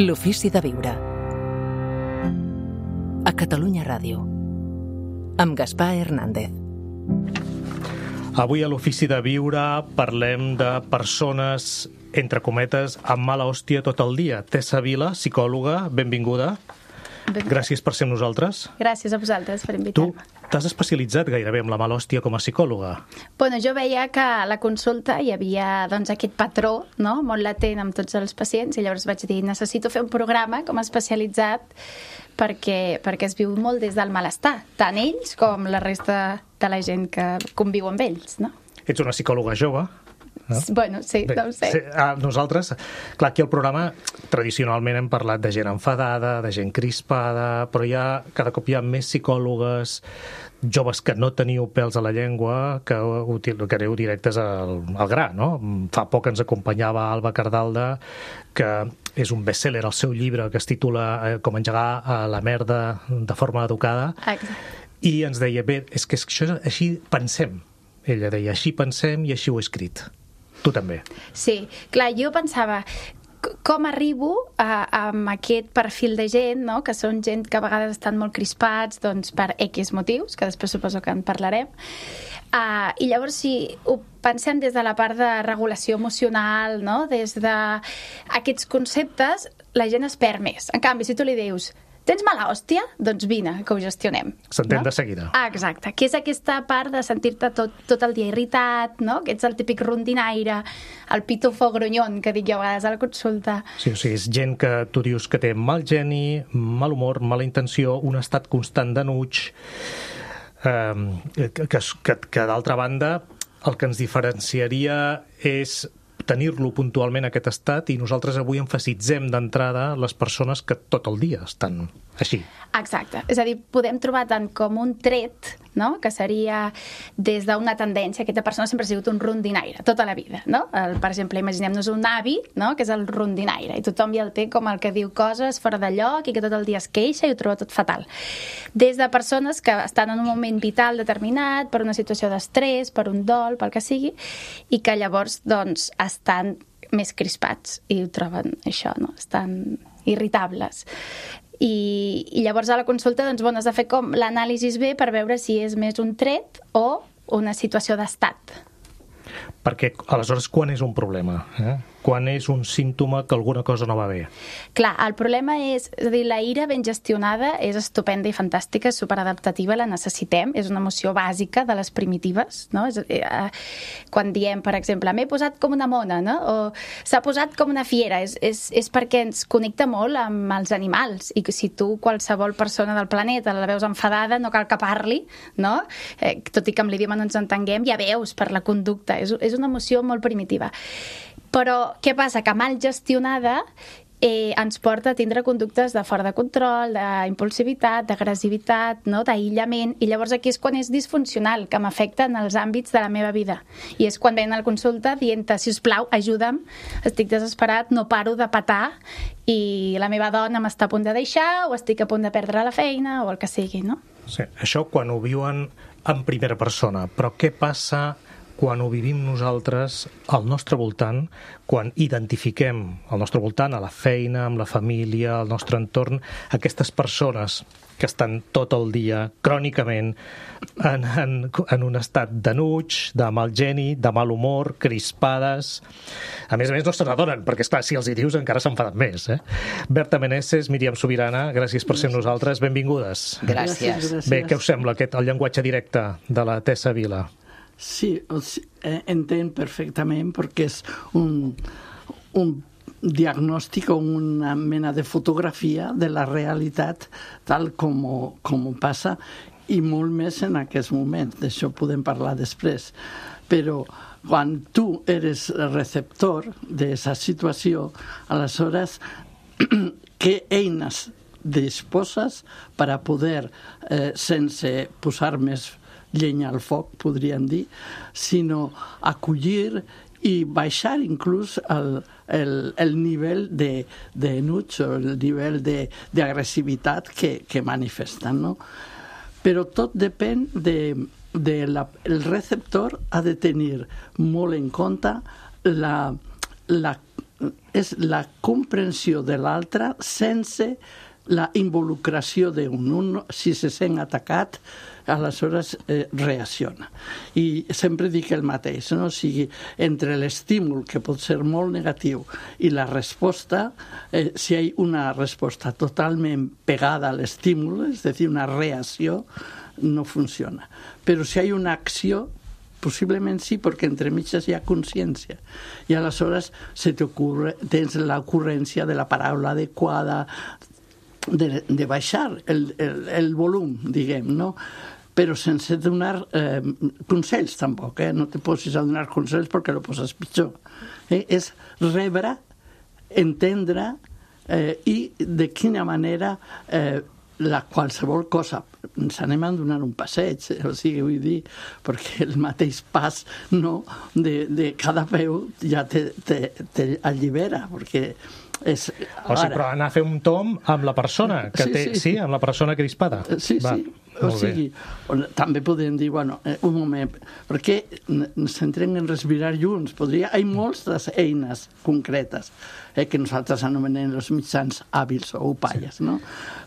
L'ofici de viure. A Catalunya Ràdio. Amb Gaspar Hernández. Avui a l'ofici de viure parlem de persones, entre cometes, amb mala hòstia tot el dia. Tessa Vila, psicòloga, benvinguda. Gràcies per ser amb nosaltres. Gràcies a vosaltres per invitar-me. Tu t'has especialitzat gairebé amb la mala hòstia com a psicòloga. Bueno, jo veia que a la consulta hi havia aquest patró, no?, molt latent amb tots els pacients, i llavors vaig dir, necessito fer un programa com a especialitzat perquè es viu molt des del malestar, tant ells com la resta de la gent que conviu amb ells, no? Ets una psicòloga jove. No? Bueno, sí, bé, no ho sé. Nosaltres, clar, aquí al programa tradicionalment hem parlat de gent enfadada, de gent crispada, però cada cop hi ha més psicòlogues joves que no teniu pèls a la llengua, que aneu directes al gra, no? Fa poc ens acompanyava Alba Cardalda, que és un best-seller, el seu llibre, que es titula Com engegar la merda de forma educada. Exacte. I ens deia, bé, és que això, així pensem. Ella deia, així pensem i així ho he escrit. Tu també. Sí, clar, jo pensava, com arribo amb aquest perfil de gent, no?, que són gent que a vegades estan molt crispats, doncs, per X motius, que després suposo que en parlarem, i llavors si ho pensem des de la part de regulació emocional, no?, des d'aquests conceptes, la gent es perd més. En canvi, si tu li dius, tens mala hòstia? Doncs vine, que ho gestionem. S'entén, no? De seguida. Exacte, que és aquesta part de sentir-te tot el dia irritat, no?, que ets el típic rondinaire, el pitufo grunyon, que dic jo a vegades a la consulta. Sí, o sigui, és gent que tu dius que té mal geni, mal humor, mala intenció, un estat constant d'enuig, que d'altra banda el que ens diferenciaria és tenir-lo puntualment aquest estat, i nosaltres avui emfasitzem d'entrada les persones que tot el dia estan així. Exacte. És a dir, podem trobar tant com un tret, no?, que seria des d'una tendència. Aquesta persona sempre ha sigut un rondinaire, tota la vida, no? Per exemple, imaginem-nos un avi, no?, que és el rondinaire, i tothom ja el té com el que diu coses fora de lloc i que tot el dia es queixa i ho troba tot fatal. Des de persones que estan en un moment vital determinat, per una situació d'estrès, per un dol, pel que sigui, i que llavors, doncs, estan més crispats i ho troben això, no?, estan irritables. I llavors a la consulta, doncs, has de fer com l'anàlisi bé per veure si és més un tret o una situació d'estat. Perquè, aleshores, quan és un problema? Quan és un símptoma que alguna cosa no va bé? Clar, el problema és a dir, la ira ben gestionada és estupenda i fantàstica, és superadaptativa, la necessitem, és una emoció bàsica de les primitives, no? Quan diem, per exemple, m'he posat com una mona, no?, o s'ha posat com una fiera, és perquè ens connecta molt amb els animals, i que si tu, qualsevol persona del planeta, la veus enfadada, no cal que parli, no? Tot i que amb l'idioma no ens entenguem, ja veus per la conducta, és una emoció molt primitiva. Però què passa? Que mal gestionada ens porta a tindre conductes de fora de control, d'impulsivitat, d'agressivitat, no?, d'aïllament, i llavors aquí és quan és disfuncional, que m'afecta en els àmbits de la meva vida. I és quan ven a la consulta dient-te, sisplau, ajuda'm, estic desesperat, no paro de petar, i la meva dona m'està a punt de deixar, o estic a punt de perdre la feina, o el que sigui, no? Sí, això quan ho viuen en primera persona, però què passa quan ho vivim nosaltres al nostre voltant, quan identifiquem al nostre voltant, a la feina, amb la família, al nostre entorn, aquestes persones que estan tot el dia, crònicament, en un estat d'enuig, de mal geni, de mal humor, crispades. A més no se n'adonen, perquè, esclar, si els hi dius encara s'enfaden més. Berta Meneses, Míriam Subirana, gràcies per ser amb nosaltres. Benvingudes. Gràcies. Bé, què us sembla el llenguatge directe de la Tessa Vila? Sí, entenc perfectament perquè és un diagnòstic o una mena de fotografia de la realitat tal com passa, i molt més en aquest moment. D'això podem parlar després. Però quan tu eres receptor d'aquesta situació, aleshores, què eines disposes per a poder, sense posar més llenya al foc, podríem dir, sinó acollir i baixar inclús el nivell d'enuig o el nivell d'agressivitat que manifesten, no? Però tot depèn el receptor ha de tenir molt en compte és la comprensió de l'altre sense la involucració d'un. Un, si se sent atacat, aleshores reacciona. I sempre dic el mateix, no? O sigui, entre l'estímul, que pot ser molt negatiu, i la resposta, si hi ha una resposta totalment pegada a l'estímul, és a dir, una reacció, no funciona. Però si hi ha una acció, possiblement sí, perquè entre mitges hi ha consciència. I aleshores tens l'ocurrència de la paraula adequada, de baixar el volum, diguem, no? Però sense donar consells, tampoc, no te posis a donar consells perquè lo poses pitjor. És rebre, entendre i de quina manera qualsevol cosa, ens anem a donar un passeig, o sigui, vull dir, perquè el mateix pas de cada peu ja t'allibera, perquè és... O sigui, però anar a fer un tomb amb la persona que té... Sí, amb la persona crispada. Sí, sí. O sigui, també podem dir, bueno, un moment, perquè ens centrem en respirar junts. Hi ha moltes eines concretes que nosaltres anomenem els mitjans hàbils o upalles, no?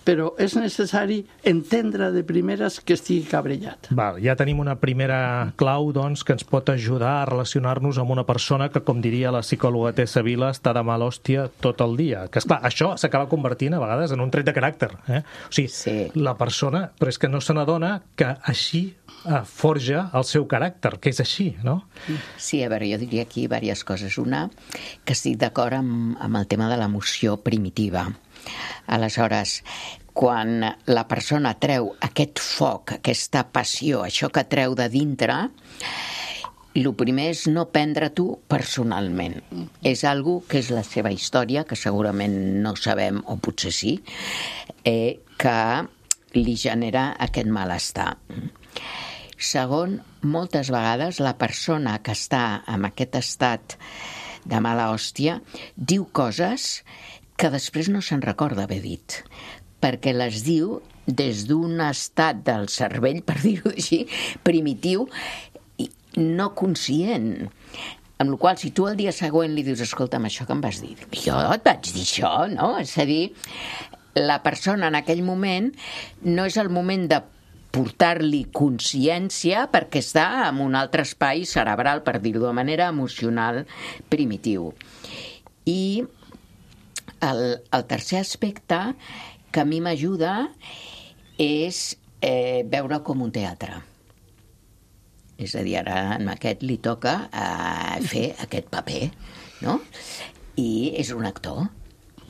Però és necessari entendre de primeres que estigui cabrellat. Val, ja tenim una primera clau, doncs, que ens pot ajudar a relacionar-nos amb una persona que, com diria la psicòloga Tessa Vila, està de mala hòstia tot el dia. Que, esclar, això s'acaba convertint, a vegades, en un tret de caràcter. O sigui, la persona, però és que no se n'adona que així forja el seu caràcter, que és així, no? Sí, a veure, jo diria aquí diverses coses. Una, que estic d'acord amb el tema de l'emoció primitiva. Aleshores, quan la persona treu aquest foc, aquesta passió, això que treu de dintre, el primer és no prendre-t'ho personalment. És algo que és la seva història, que segurament no sabem, o potser sí, que li genera aquest malestar. Segon, moltes vegades la persona que està en aquest estat de mala hòstia diu coses que després no se'n recorda haver dit, perquè les diu des d'un estat del cervell, per dir-ho així, primitiu, i no conscient. Amb la qual cosa, si tu el dia següent li dius, escolta'm, això que em vas dir, jo et vaig dir això, no? És a dir, la persona en aquell moment no és el moment de portar-li consciència perquè està en un altre espai cerebral, per dir-ho de manera emocional, primitiu. I el tercer aspecte que a mi m'ajuda és veure com un teatre. És a dir, ara a aquest li toca fer aquest paper, no? I és un actor,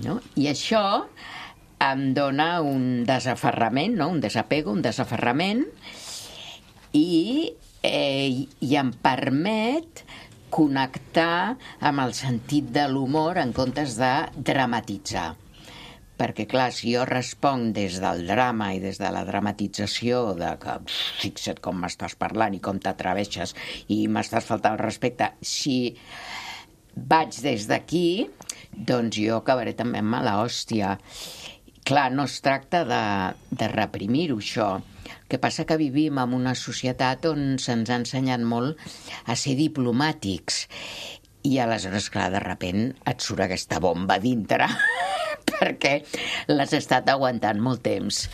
no? I això em dona un desaferrament, no? Un desapego, un desaferrament, i em permet connectar amb el sentit de l'humor en comptes de dramatitzar. Perquè, clar, si jo responc des del drama i des de la dramatització de que fixa't com m'estàs parlant i com t'atreveixes i m'estàs faltant el respecte, si vaig des d'aquí, doncs jo acabaré també amb mala hòstia. Clar, no es tracta de reprimir-ho, això. El que passa que vivim en una societat on se'ns ha ensenyat molt a ser diplomàtics i aleshores, clar, de sobte et surt aquesta bomba dintre perquè l'has estat aguantant molt temps.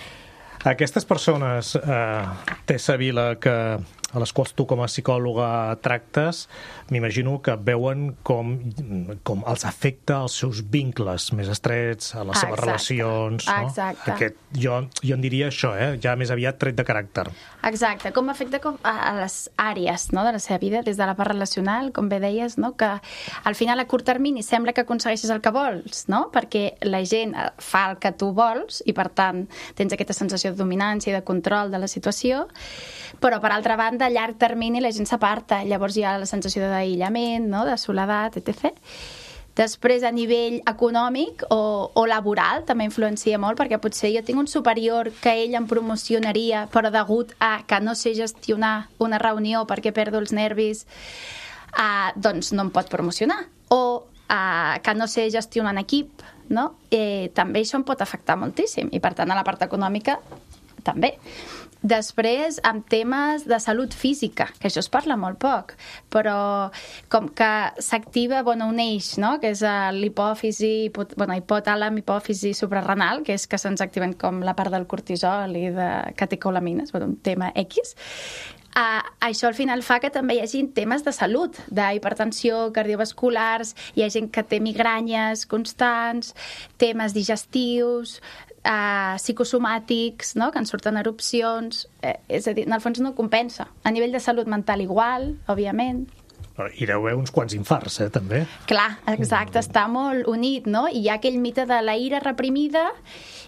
Aquestes persones, Tessa Vila, a les quals tu com a psicòloga tractes, m'imagino que veuen com els afecta els seus vincles més estrets, a les seves relacions. No? Exacte. Jo en diria això, ja més aviat tret de caràcter. Exacte, com afecta a les àrees, no, de la seva vida, des de la part relacional, com bé deies, no, que al final a curt termini sembla que aconsegueixes el que vols, no? Perquè la gent fa el que tu vols i per tant tens aquesta sensació de dominància i de control de la situació, però per altra banda a llarg termini la gent s'aparta, llavors hi ha la sensació d'aïllament, no? De soledat, etc. Després, a nivell econòmic o laboral, també influencia molt, perquè potser jo tinc un superior que ell em promocionaria, però degut a que no sé gestionar una reunió perquè perdo els nervis, doncs no em pot promocionar. O que no sé gestionar en equip, no? També això em pot afectar moltíssim. I, per tant, a la part econòmica també. Després, amb temes de salut física, que això es parla molt poc, però com que s'activa un eix, no? Que és l'hipòfisi, hipotàlam, hipòfisi suprarrenal, que és que se'ns activen com la part del cortisol i de catecolamines, un tema X. Això al final fa que també hi hagi temes de salut, d'hipertensió, cardiovasculars, hi ha gent que té migranyes constants, temes digestius, psicosomàtics, no? Que en surten erupcions, és a dir, en el fons no compensa. A nivell de salut mental igual, òbviament. I deu haver uns quants infarts, també. Clar, exacte, està molt unit, no? I hi ha aquell mite de la ira reprimida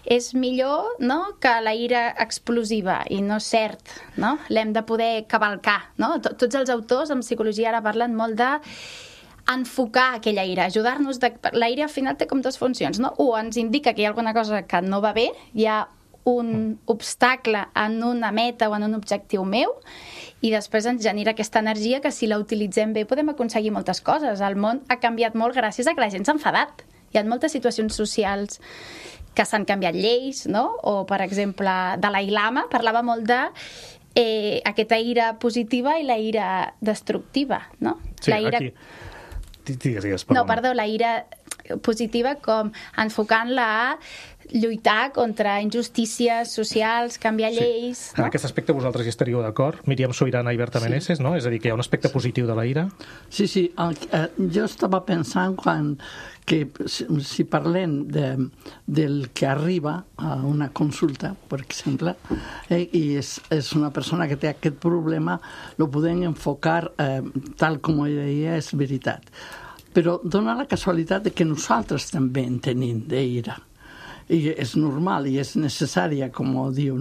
és millor, no?, que la ira explosiva, i no és cert, no? L'hem de poder cavalcar, no? Tots els autors en psicologia ara parlen molt de enfocar aquella ira, ajudar-nos. La ira al final té com dues funcions, no? O ens indica que hi ha alguna cosa que no va bé, hi ha un obstacle en una meta o en un objectiu meu, i després ens genera aquesta energia que si la utilitzem bé podem aconseguir moltes coses. El món ha canviat molt gràcies a que la gent s'ha enfadat. Hi ha moltes situacions socials que s'han canviat lleis, no? O, per exemple, Dalai Lama parlava molt de aquesta ira positiva i la ira destructiva, no? Sí, la ira... aquí... Digues, perdona. No, perdó, la ira positiva com enfocant-la a lluitar contra injustícies socials, canviar lleis... En aquest aspecte vosaltres hi estaríeu d'acord? Míriam Subirana i Berta Meneses, no? És a dir, que hi ha un aspecte positiu de la ira? Sí. Jo estava pensant que si parlem del que arriba a una consulta, per exemple, i és una persona que té aquest problema, lo podem enfocar tal com ella deia, és veritat. Però dona la casualitat de que nosaltres també en tenim d'ira. I és normal i és necessària, com diu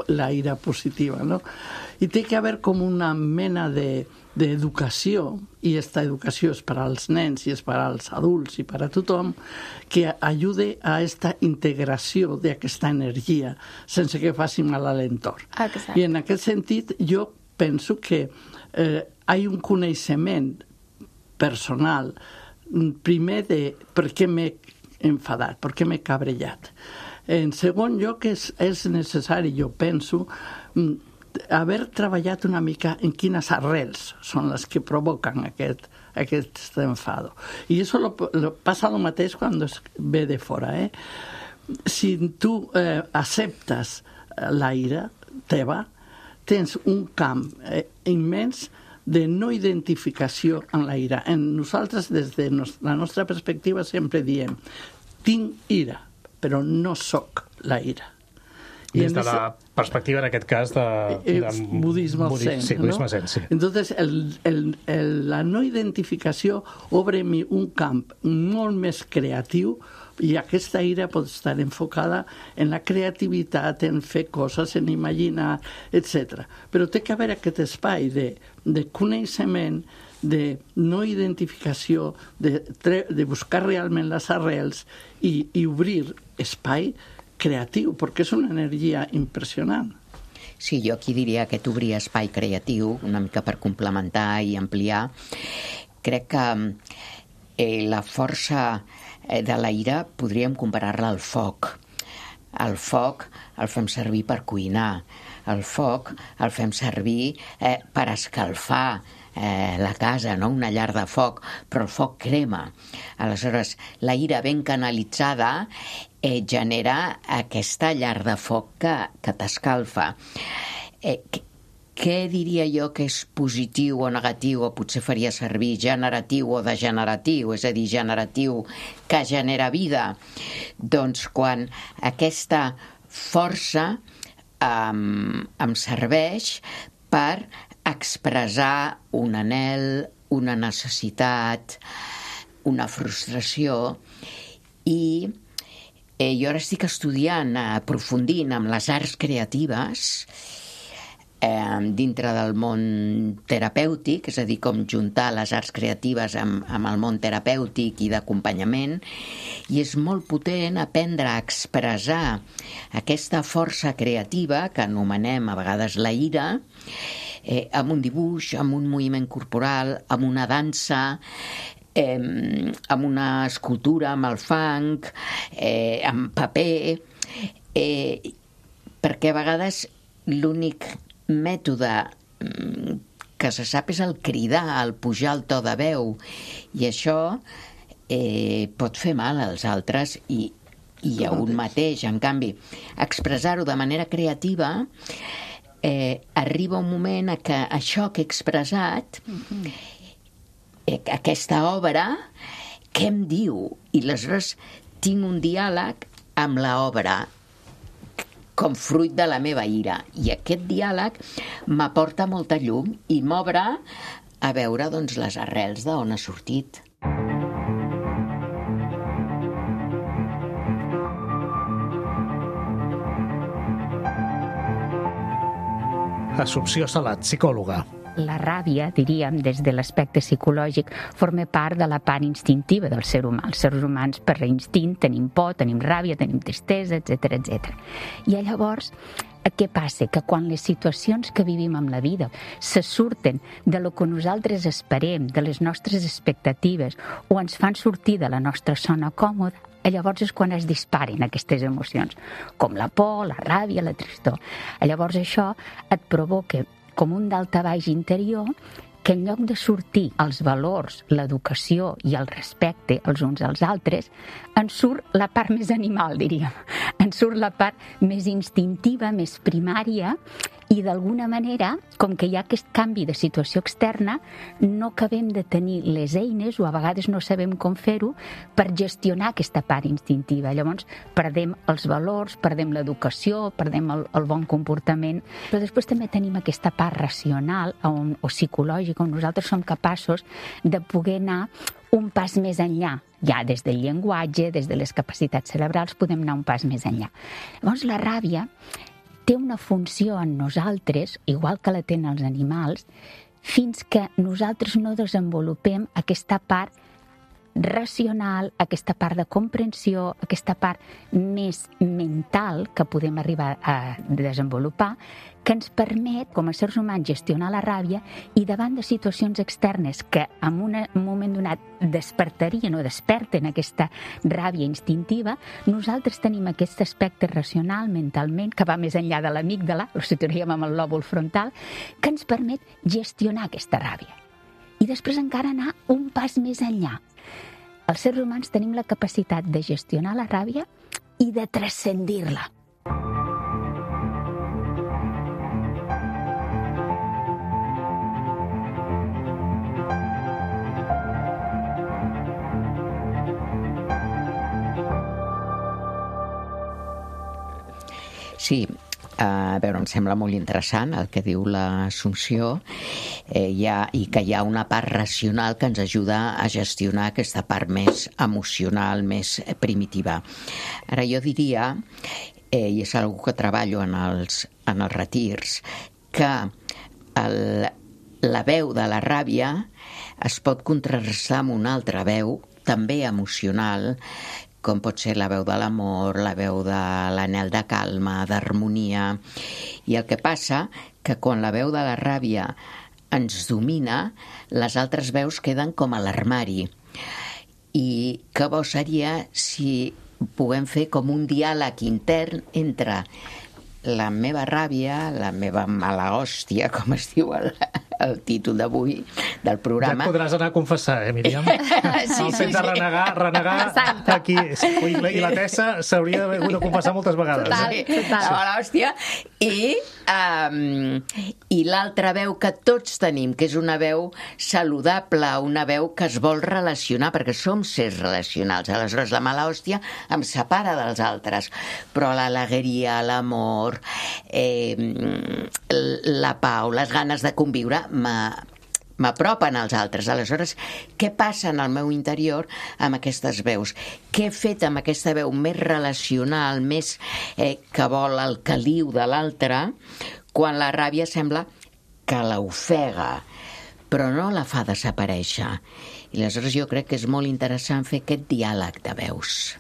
la ira positiva, no? I té que haver com una mena d'educació, i aquesta educació és per als nens i és per als adults i per a tothom, que ajude a aquesta integració d'aquesta energia sense que faci mal a l'entorn. Exacte. I en aquest sentit jo penso que hi ha un coneixement personal, primer de per què m'he enfadat, per què m'he cabrellat. En segon lloc, és necessari, jo penso, haver treballat una mica en quines arrels són les que provoquen aquest enfado. I això passa el mateix quan ve de fora. Si tu acceptes la ira teva, tens un camp immens de no identificació en la ira. Nosaltres, des de la nostra perspectiva, sempre diem tinc ira, però no soc la ira. Des de la perspectiva, en aquest cas, de budisme zen. Sí, budisme zen, sí. Entonces, la no identificació obre un camp molt més creatiu, i aquesta ira pot estar enfocada en la creativitat, en fer coses, en imaginar, etc. Però té que haver aquest espai de coneixement, de no identificació, de buscar realment les arrels i obrir espai creatiu, perquè és una energia impressionant. Sí, jo aquí diria que obrir espai creatiu, una mica per complementar i ampliar. Crec que la força de la ira podríem comparar-la al foc. El foc el fem servir per cuinar, el foc el fem servir per escalfar la casa, no? Una llar de foc, però el foc crema. Aleshores, la ira ben canalitzada genera aquesta llar de foc que t'escalfa. Què diria jo que és positiu o negatiu, o potser faria servir generatiu o degeneratiu, és a dir, generatiu que genera vida? Doncs quan aquesta força em serveix per expressar un anhel, una necessitat, una frustració, i jo ara estic estudiant, aprofundint amb les arts creatives, dintre del món terapèutic, és a dir, com juntar les arts creatives amb el món terapèutic i d'acompanyament, i és molt potent aprendre a expressar aquesta força creativa que anomenem a vegades la ira, amb un dibuix, amb un moviment corporal, amb una dansa, amb una escultura, amb el fang, amb paper, perquè a vegades l'únic mètode que se sap és el cridar, el pujar el to de veu, i això pot fer mal als altres i a un mateix. En canvi, expressar-ho de manera creativa arriba un moment a que això que he expressat, aquesta obra, què em diu? I aleshores tinc un diàleg amb l'obra com fruit de la meva ira. I aquest diàleg m'aporta molta llum i m'obre a veure doncs, les arrels d'on ha sortit. Assumpció Salat, psicòloga. La ràbia, diríem, des de l'aspecte psicològic, forma part de la part instintiva del ser humà. Els seres humans, per instint, tenim por, tenim ràbia, tenim tristesa, etc etc. I llavors, què passa? Que quan les situacions que vivim en la vida se surten de lo que nosaltres esperem, de les nostres expectatives, o ens fan sortir de la nostra zona còmoda, llavors és quan es disparen aquestes emocions, com la por, la ràbia, la tristor. Llavors això et provoca com un daltabaix interior que en lloc de sortir els valors, l'educació i el respecte els uns als altres, en surt la part més animal, diríem. En surt la part més instintiva, més primària, i d'alguna manera, com que hi ha aquest canvi de situació externa, no acabem de tenir les eines, o a vegades no sabem com fer-ho, per gestionar aquesta part instintiva. Llavors, perdem els valors, perdem l'educació, perdem el bon comportament, però després també tenim aquesta part racional o psicològica, on nosaltres som capaços de poder anar un pas més enllà. Ja des del llenguatge, des de les capacitats cerebrals, podem anar un pas més enllà. Llavors, la ràbia té una funció en nosaltres, igual que la tenen els animals, fins que nosaltres no desenvolupem aquesta part racional, aquesta part de comprensió, aquesta part més mental que podem arribar a desenvolupar, que ens permet, com a éssers humans, gestionar la ràbia i davant de situacions externes que en un moment donat despertarien o desperten aquesta ràbia instintiva, nosaltres tenim aquest aspecte racional, mentalment, que va més enllà de l'amígdala, ho situaríem amb el lòbul frontal, que ens permet gestionar aquesta ràbia. I després encara anar un pas més enllà. Els éssers humans tenim la capacitat de gestionar la ràbia i de transcendir-la. Sí, a veure, em sembla molt interessant el que diu l'Assumpció, i que hi ha una part racional que ens ajuda a gestionar aquesta part més emocional, més primitiva. Ara jo diria, i és una que treballo en els retirs, que la veu de la ràbia es pot contrarrestar amb una altra veu, també emocional, com pot ser la veu de l'amor, la veu de l'anhel de calma, d'harmonia. I el que passa que quan la veu de la ràbia ens domina, les altres veus queden com a l'armari. I que bo seria si puguem fer com un diàleg intern entre la meva ràbia, la meva mala hòstia, com es diu el títol d'avui del programa. Ja et podràs anar a confessar, Míriam? Sí, el fet de renegar aquí. I la Tessa s'hauria d'haver de confessar moltes vegades. Total. La mala hòstia. I l'altra veu que tots tenim, que és una veu saludable, una veu que es vol relacionar, perquè som sers relacionals. Aleshores, la mala hòstia em separa dels altres. Però l'alegria, l'amor, la pau, les ganes de conviure m'apropen als altres. Aleshores, què passa en el meu interior amb aquestes veus? Què he fet amb aquesta veu més relacional, més que vol el caliu de l'altre, quan la ràbia sembla que l'ofega, però no la fa desaparèixer? I aleshores jo crec que és molt interessant fer aquest diàleg de veus.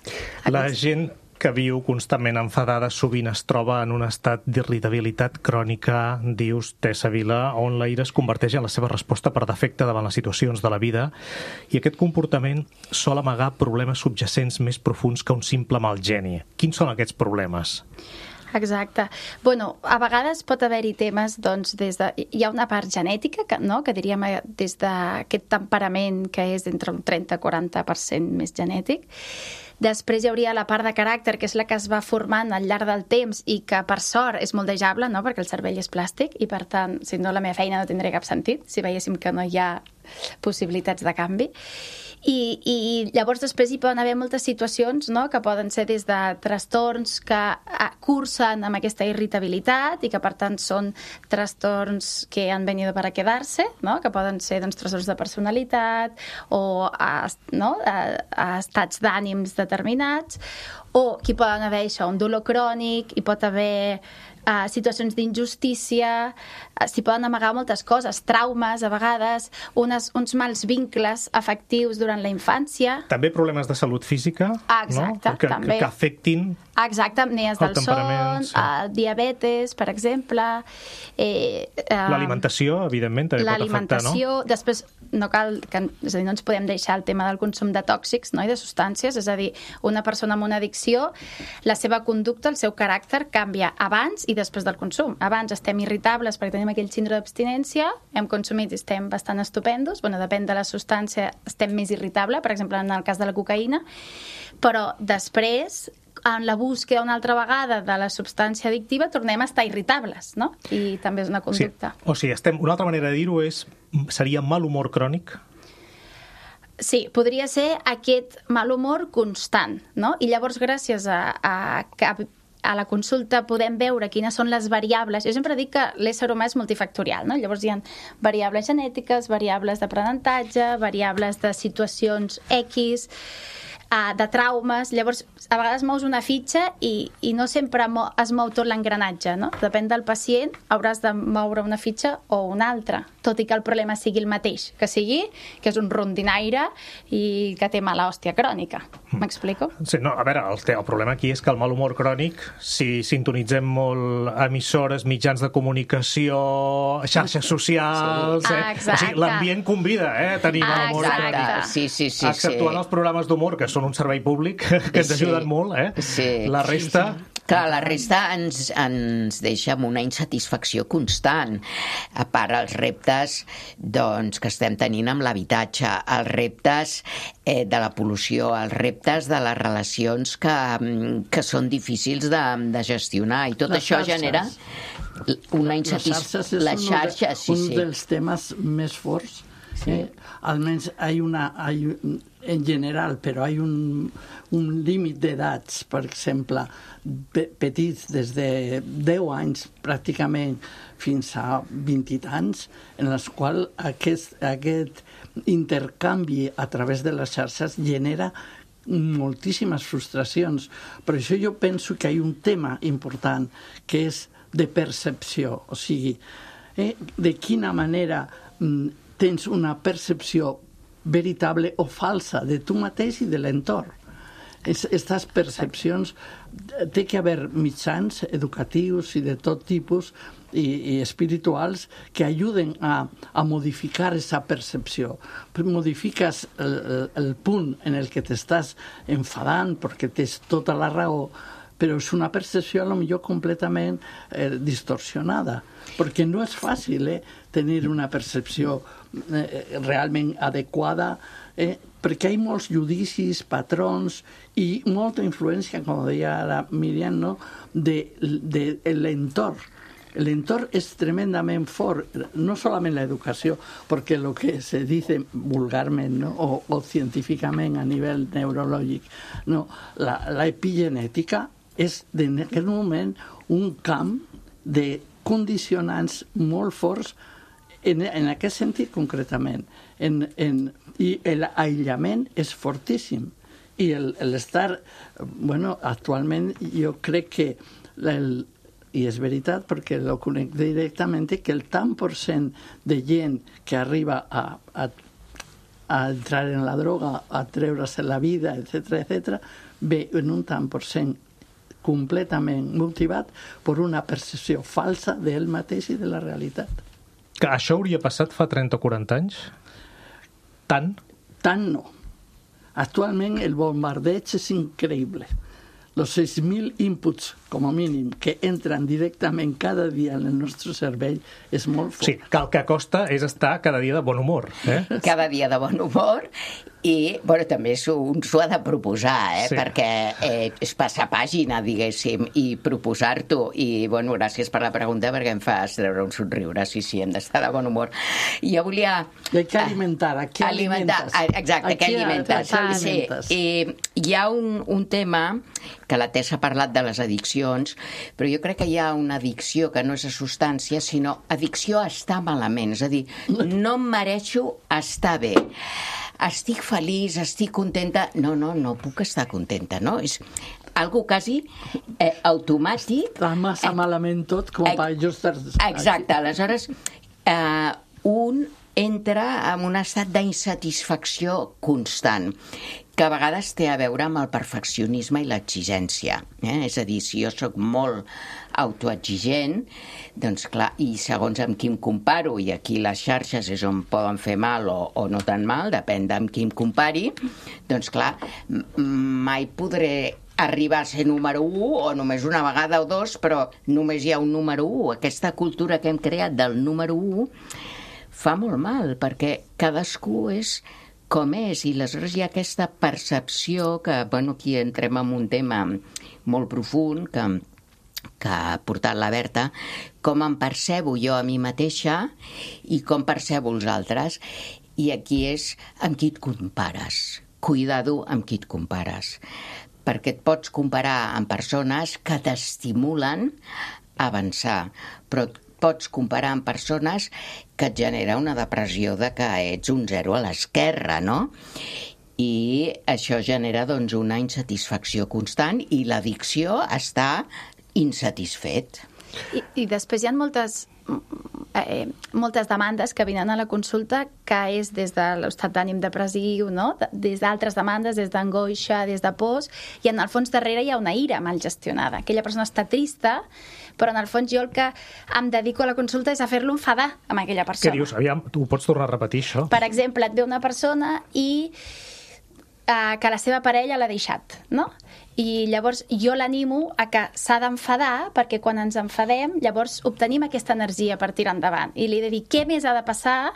La gent que viu constantment enfadada sovint es troba en un estat d'irritabilitat crònica, dius Tessa Vila, on la ira es converteix en la seva resposta per defecte davant les situacions de la vida, i aquest comportament sol amagar problemes subjacents més profuns que un simple mal geni. Quins són aquests problemes? Exacte. Bueno, a vegades pot haver-hi temes, doncs, hi ha una part genètica, que diríem des d'aquest temperament que és entre un 30-40% més genètic. Després hi hauria la part de caràcter, que és la que es va formant al llarg del temps i que, per sort, és moldejable, no? Perquè el cervell és plàstic i, per tant, si no, la meva feina no tindria cap sentit, si veiéssim que no hi ha possibilitats de canvi. I llavors després hi poden haver moltes situacions, no?, que poden ser des de trastorns que cursen amb aquesta irritabilitat i que per tant són trastorns que han venido para quedarse, no?, que poden ser, doncs, trastorns de personalitat o estats d'ànims determinats, o que poden haver això, un dolor crònic, hi pot haver situacions d'injustícia, s'hi poden amagar moltes coses, traumes a vegades, uns mals vincles afectius durant la infància. També problemes de salut física, exacte, no? també. Que afectin exacte, apnees del son, diabetes, per exemple. L'alimentació, evidentment, també pot afectar, no? L'alimentació, després no cal, és a dir, no ens podem deixar el tema del consum de tòxics, no?, i de substàncies, és a dir, una persona amb una addicció, la seva conducta, el seu caràcter canvia abans i després del consum. Abans estem irritables perquè tenim aquell síndrome d'abstinència, hem consumit i estem bastant estupendos, bueno, depèn de la substància, estem més irritables, per exemple, en el cas de la cocaïna, però després, en la búsqueda una altra vegada de la substància addictiva, tornem a estar irritables, no? I també és una conducta. Sí. O sigui, una altra manera de dir-ho seria mal humor crònic? Sí, podria ser aquest mal humor constant, no? I llavors, gràcies a la consulta podem veure quines són les variables. Jo sempre dic que l'ésser humà és multifactorial, no? Llavors hi ha variables genètiques, variables d'aprenentatge, variables de situacions X, de traumes. Llavors, a vegades mous una fitxa i no sempre es mou tot l'engranatge, no? Depèn del pacient, hauràs de moure una fitxa o una altra, tot i que el problema sigui el mateix, que és un rondinaire i que té mala hòstia crònica. M'explico? Sí, no, a veure, el problema aquí és que el mal humor crònic, si sintonitzem molt emissores, mitjans de comunicació, xarxes socials... Exacte. O sigui, l'ambient convida a tenir mal humor crònic. Sí. Exceptuant els programes d'humor, que són un servei públic, que ens ajuden molt, La resta... Clar, la resta ens deixa amb una insatisfacció constant. A part, els reptes que estem tenint amb l'habitatge, els reptes de la pol·lució, els reptes de les relacions que són difícils de gestionar, i tot això genera una insatisfacció. Les xarxes és un dels temes més forts. Almenys en general, però hi ha un límit d'edats, per exemple, petits des de 10 anys pràcticament fins a 20 i tants, en els quals aquest intercanvi a través de les xarxes genera moltíssimes frustracions. Per això jo penso que hi ha un tema important que és de percepció, o sigui, de quina manera tens una percepció veritable o falsa de tu mateix i de l'entorn. Aquestes percepcions, té que haver mitjans educatius i de tot tipus i espirituals que ajuden a modificar aquesta percepció. Modifiques el punt en el que t'estàs enfadant perquè tens tota la raó, però és una percepció potser completament distorsionada, perquè no és fàcil tenir una percepció realment adequada, perquè hi ha molts judicis, patrons i molta influència, com deia ara Míriam, no?, de l'entorn. L'entorn és tremendament fort, no solament l'educació, perquè el que se dice vulgarment, no?, o científicament a nivell neurològic, no, l'epigenètica és en aquest moment un camp de condicionants molt forts en aquest sentit concretament. I l'aïllament és fortíssim. I l'estar... actualment jo crec que... I és veritat, perquè ho conec directament, que el tant % de gent que arriba a entrar en la droga, a treure's la vida, etc., ve en un tant % completament motivat per una percepció falsa d'ell mateix i de la realitat. Que això hauria passat fa 30 o 40 anys? Tant? Tant no. Actualment el bombardeig és increïble. Els 6.000 inputs com a mínim, que entren directament cada dia en el nostre cervell, és molt fort. Sí, que el que costa és estar cada dia de bon humor. Cada dia de bon humor i, bueno, també un s'ho ha de proposar, Sí. perquè és passar pàgina, diguéssim, i proposar-t'ho. I, bueno, gràcies per la pregunta, perquè em fas treure un somriure. Sí, hem d'estar de bon humor. Jo volia... I hay que alimentar. ¿A qué alimentas? Exacte, què alimentes? Sí. I hi ha un tema que la Tessa ha parlat de les addiccions, però jo crec que hi ha una addicció que no és a substància, sinó addicció a estar malament. És a dir, no em mereixo estar bé. Estic feliç, estic contenta... No puc estar contenta, no? És algo quasi automàtic. Està massa malament tot com per jo estar... Exacte, aleshores un entra en un estat d'insatisfacció constant, que a vegades té a veure amb el perfeccionisme i l'exigència. És a dir, si jo sóc molt autoexigent, doncs clar, i segons amb qui em comparo, i aquí les xarxes és on poden fer mal o no tan mal, depèn d'amb qui em compari, doncs clar, mai podré arribar a ser número 1 o només una vegada o dos, però només hi ha un número 1. Aquesta cultura que hem creat del número 1 fa molt mal, perquè cadascú és com és, i aleshores hi ha aquesta percepció que, bueno, aquí entrem en un tema molt profund que ha portat la Berta, com em percebo jo a mi mateixa i com percebo els altres. I aquí és amb qui et compares. Cuidado amb qui et compares, perquè et pots comparar amb persones que t'estimulen a avançar, però pots comparar amb persones que et genera una depressió de que ets un 0 a l'esquerra, no? I això genera, doncs, una insatisfacció constant i l'addicció està insatisfet. I després hi ha moltes demandes que vinen a la consulta que és des de l'estat d'ànim depressiu, no? Des d'altres demandes, des d'angoixa, des de pors, i en el fons darrere hi ha una ira mal gestionada. Aquella persona està trista, però en el fons jo el que em dedico a la consulta és a fer-lo enfadar amb aquella persona. Què dius? Aviam, tu ho pots tornar a repetir, això? Per exemple, et ve una persona i que la seva parella l'ha deixat, no? I llavors jo l'animo a que s'ha d'enfadar, perquè quan ens enfadem llavors obtenim aquesta energia per tirar endavant. I li he de dir què més ha de passar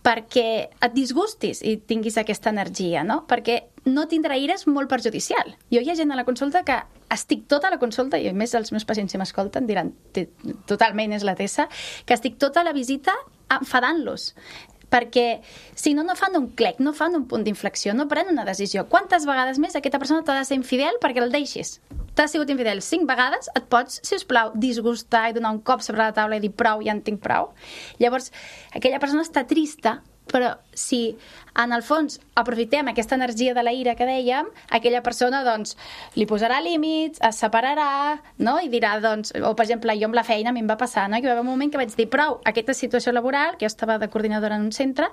perquè et disgustis i tinguis aquesta energia, no? Perquè no tindre ira és molt perjudicial. Jo hi ha gent a la consulta que estic tota la consulta, i a més els meus pacients si m'escolten diran totalment és la Tessa, que estic tota la visita enfadant-los. Perquè si no fan un clec, no fan un punt d'inflexió, no prenen una decisió. Quantes vegades més aquesta persona t'ha de ser infidel perquè el deixis? T'ha sigut infidel 5 vegades, et pots, si us plau, disgustar i donar un cop sobre la taula i dir prou, ja en tinc prou. Llavors, aquella persona està trista, però si en el fons aprofitem aquesta energia de la ira que dèiem, aquella persona doncs li posarà límits, es separarà, no? I dirà, doncs, o per exemple, jo amb la feina a mi em va passar, no? Que va haver un moment que vaig dir prou, aquesta situació laboral, que jo estava de coordinadora en un centre,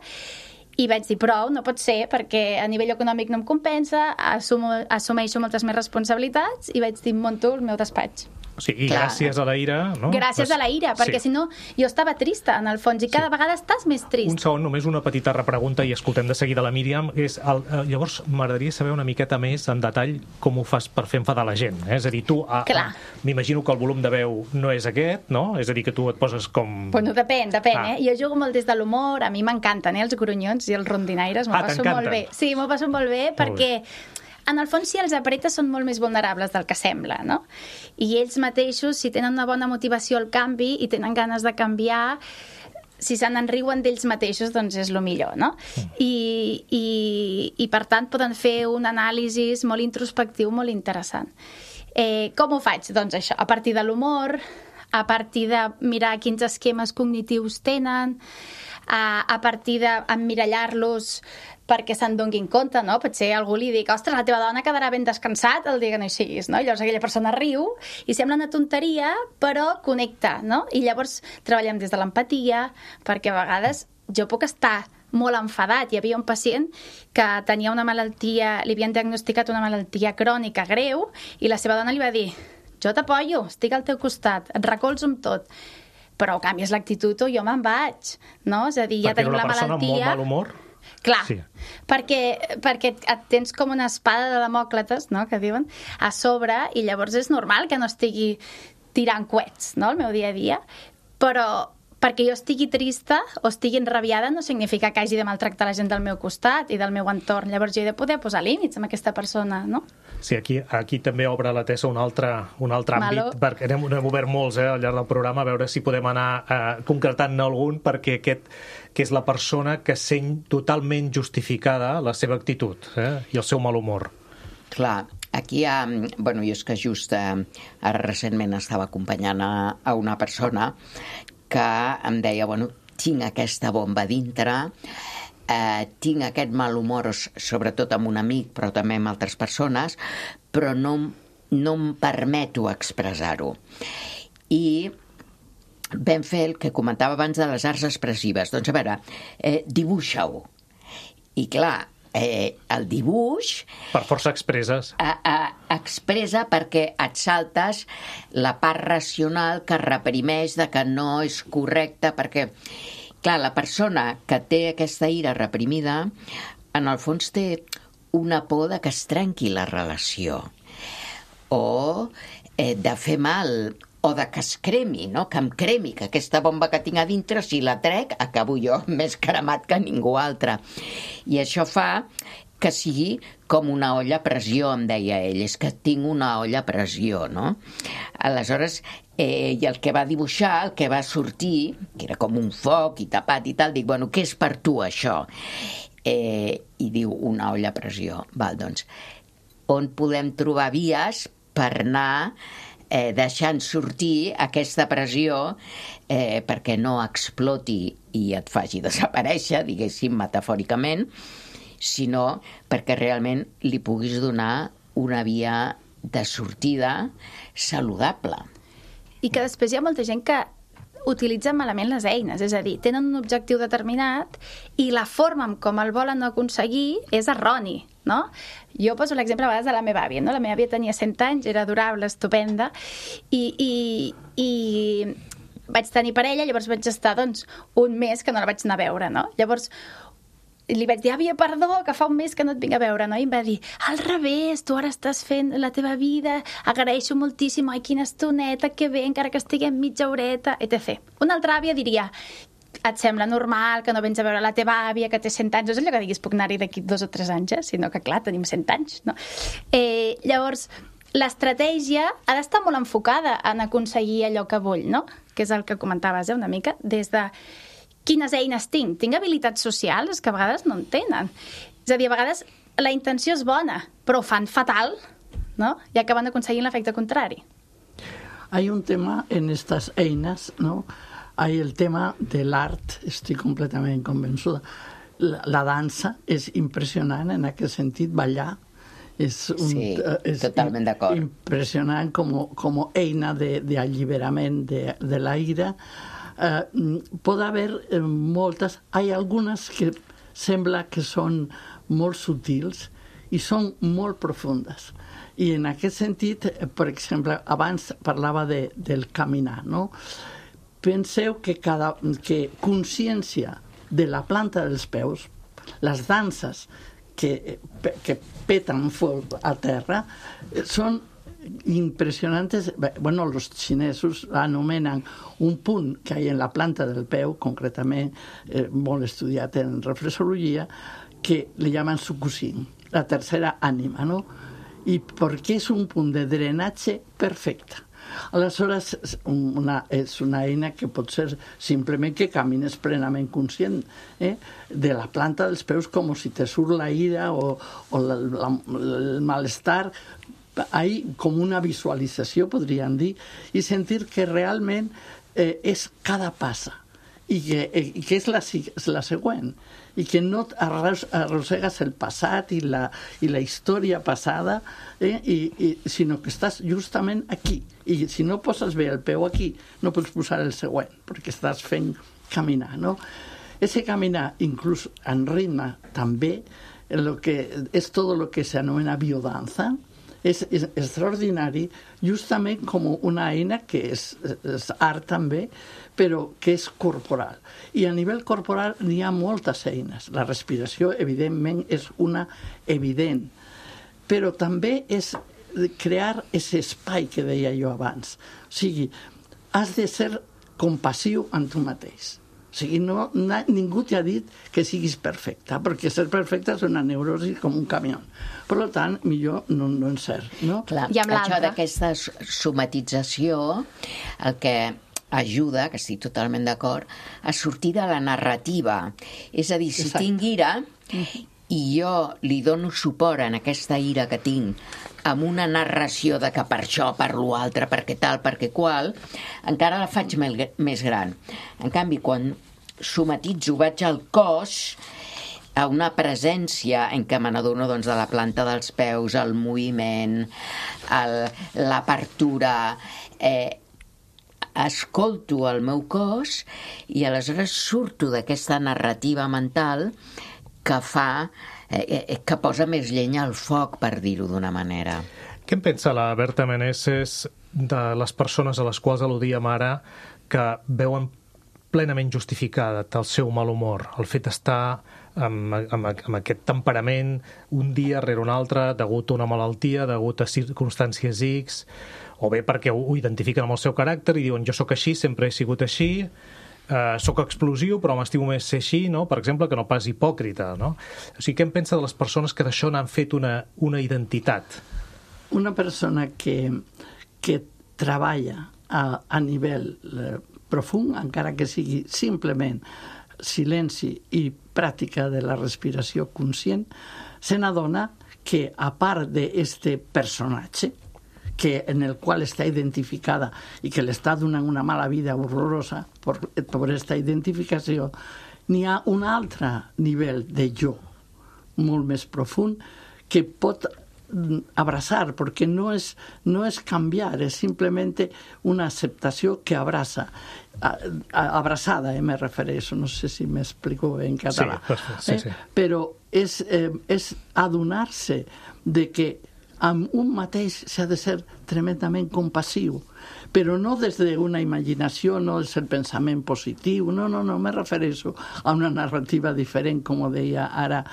i vaig dir prou, no pot ser, perquè a nivell econòmic no em compensa, assumeixo moltes més responsabilitats, i vaig dir, munto el meu despatx. O sigui, i gràcies a la ira... No? Gràcies a la ira, perquè si no, jo estava trista, en el fons, i cada vegada estàs més trist. Un segon, només una petita repregunta, i escoltem de seguida la Míriam. Llavors, m'agradaria saber una miqueta més en detall com ho fas per fer enfadar la gent. És a dir, tu... M'imagino que el volum de veu no és aquest, no? És a dir, que tu et poses com... Bueno, depèn, Jo jugo molt des de l'humor, a mi m'encanten, els gronyons i els rondinaires, m'ho passo molt bé. Sí, m'ho passo molt bé, perquè... En el fons, si els apretes, són molt més vulnerables del que sembla, no? I ells mateixos, si tenen una bona motivació al canvi i tenen ganes de canviar, si se n'enriuen d'ells mateixos, doncs és el millor, no? I per tant, poden fer un anàlisi molt introspectiu, molt interessant. Com ho faig? Doncs això, a partir de l'humor, a partir de mirar quins esquemes cognitius tenen, a partir d'emmirallar-los perquè se'n donguin compte, no? Potser algú li dic, ostres, la teva dona quedarà ben descansat el dia que no hi siguis, no? I llavors aquella persona riu i sembla una tonteria, però connecta, no? I llavors treballem des de l'empatia, perquè a vegades jo puc estar molt enfadat. Hi havia un pacient que tenia una malaltia, li havien diagnosticat una malaltia crònica greu, i la seva dona li va dir, jo t'apoyo, estic al teu costat, et recolzo amb tot, però canvies l'actitud o jo me'n vaig, no? És a dir, ja tenim la malaltia... Perquè era una persona amb molt mal humor? Clar, Sí. perquè et tens com una espada de Demòcrates, no?, que diuen, a sobre, i llavors és normal que no estigui tirant coets, no?, el meu dia a dia, però perquè jo estigui trista o estigui enrabiada no significa que hagi de maltractar la gent del meu costat i del meu entorn. Llavors jo he de poder posar límits amb aquesta persona, no? Sí, aquí també obre la Tessa un altre àmbit, perquè n'hem obert molts al llarg del programa, a veure si podem anar concretant-ne algun, perquè aquest que és la persona que sent totalment justificada la seva actitud i el seu mal humor. Clar, aquí hi ha... Bueno, jo és que just ara recentment estava acompanyant a una persona que em deia, bueno, tinc aquesta bomba dintre, tinc aquest mal humor, sobretot amb un amic, però també amb altres persones, però no em permeto expressar-ho. I vam fer el que comentava abans de les arts expressives. Doncs a veure, dibuixa-ho. I clar, el dibuix... Per força expresses. Expressa perquè et saltes la part racional que reprimeix de que no és correcte, perquè, clar, la persona que té aquesta ira reprimida, en el fons té una por de que es trenqui la relació, o de fer mal, o de que es cremi, no? Que em cremi, que aquesta bomba que tinc a dintre, si la trec, acabo jo més cremat que ningú altre. I això fa que sigui com una olla a pressió, em deia ell, és que tinc una olla a pressió, no? Aleshores, i el que va dibuixar, el que va sortir, que era com un foc i tapat i tal, dic, bueno, què és per tu això? I diu, una olla a pressió. Val, doncs, on podem trobar vies per anar deixant sortir aquesta pressió perquè no exploti i et faci desaparèixer, diguéssim, metafòricament, sinó perquè realment li puguis donar una via de sortida saludable. I que després hi ha molta gent que utilitzen malament les eines, és a dir, tenen un objectiu determinat i la forma en com el volen aconseguir és erroni, no? Jo poso l'exemple a vegades de la meva àvia, no? La meva àvia tenia 100 anys, era adorable, estupenda, i vaig tenir parella, llavors vaig estar, doncs, un mes que no la vaig anar a veure, no? Llavors li vaig dir, àvia, perdó, que fa un mes que no et vinc a veure, no? I em va dir, al revés, tu ara estàs fent la teva vida, agraeixo moltíssim, ai, quina estoneta, que bé, encara que estiguem mitja horeta, etc. Una altra àvia diria, et sembla normal que no vens a veure la teva àvia, que té 100 anys, no és allò que diguis, puc anar-hi d'aquí 2 o 3 anys, sinó que, clar, tenim 100 anys, no? Llavors, l'estratègia ha d'estar molt enfocada en aconseguir allò que vull, no? Que és el que comentaves, una mica, des de quines eines tinc? Tinc habilitats socials que a vegades no en tenen. És a dir, a vegades la intenció és bona, però ho fan fatal, ¿no? I acaben aconseguint l'efecte contrari. Hay un tema en estas einas, ¿no? Hay el tema del art, estoy completamente convençuda. La dansa és impressionant en aquest sentit, ballar. És totalment d'acord. Impressionant com eina d'alliberament de la ira. Pot haver moltes, hi ha algunes que sembla que són molt sutils i són molt profundes. I en aquest sentit, per exemple, abans parlava del caminar, no? Penseu que consciència de la planta dels peus, les danses que peten foc a terra, són impressionantes. Bueno, los xinesos anomenen un punt que hi ha en la planta del peu, concretament molt estudiat en reflexologia, que li llaman sukushin, la tercera ànima, no? I perquè és un punt de drenatge perfecte. Aleshores, és una eina que pot ser simplement que camines plenament conscient de la planta dels peus, com si te surt la ira o el malestar. Hay com una visualització, podríem dir, i sentir que realment és cada passa i que és la següent i que no arrossegues el passat i la història passada, sinó que estàs justament aquí. I si no poses bé el peu aquí, no pots posar el següent, perquè estàs fent caminar, no? Ese caminar, inclús en ritme, també, és tot el que s'anomena biodanza, és extraordinari, justament com una eina que és art també, però que és corporal. I a nivell corporal n'hi ha moltes eines. La respiració, evidentment, és una evident, però també és crear aquest espai que deia jo abans. O sigui, has de ser compassiu amb tu mateix. O sigui, ningú t'ha dit que siguis perfecta, perquè ser perfecta és una neurosi com un camió. Per tant, millor no en ser. No? Clar, això d'aquesta somatització, el que ajuda, que estic totalment d'acord, a sortir de la narrativa. És a dir, si tinc ira i jo li dono suport en aquesta ira que tinc amb una narració de que per això, per l'altre, perquè tal, perquè qual, encara la faig més gran. En canvi, quan somatitzo, vaig al cos, a una presència en què me n'adono de la planta dels peus, el moviment, l'apertura, escolto el meu cos i aleshores surto d'aquesta narrativa mental que fa que posa més llenya al foc, per dir-ho d'una manera. Què en pensa la Berta Meneses de les persones a les quals al·ludíem ara que veuen plenament justificat el seu mal humor, el fet d'estar amb aquest temperament un dia rere un altre, degut a una malaltia, degut a circumstàncies X, o bé perquè ho identifiquen amb el seu caràcter i diuen jo sóc així, sempre he sigut així, sóc explosiu però m'estimo més ser així, no? Per exemple, que no pas hipòcrita, no? O sigui, què en pensa de les persones que d'això n'han fet una identitat? Una persona que treballa a nivell profund, encara que sigui simplement silenci i pràctica de la respiració conscient, se n'adona que a part d'aquest personatge, en el qual està identificada i que li està donant una mala vida horrorosa per aquesta identificació, n'hi ha un altre nivell de jo molt més profund que pot abraçar, perquè no és canviar, és simplement una acceptació que abraça. Abraçada, me refereixo, no sé si m'explico bé en català. Sí. Però és adonar-se de que amb un mateix s'ha de ser tremendament compassiu, però no des d'una imaginació, no des del pensament positiu, no, me refereixo a una narrativa diferent, com ho deia ara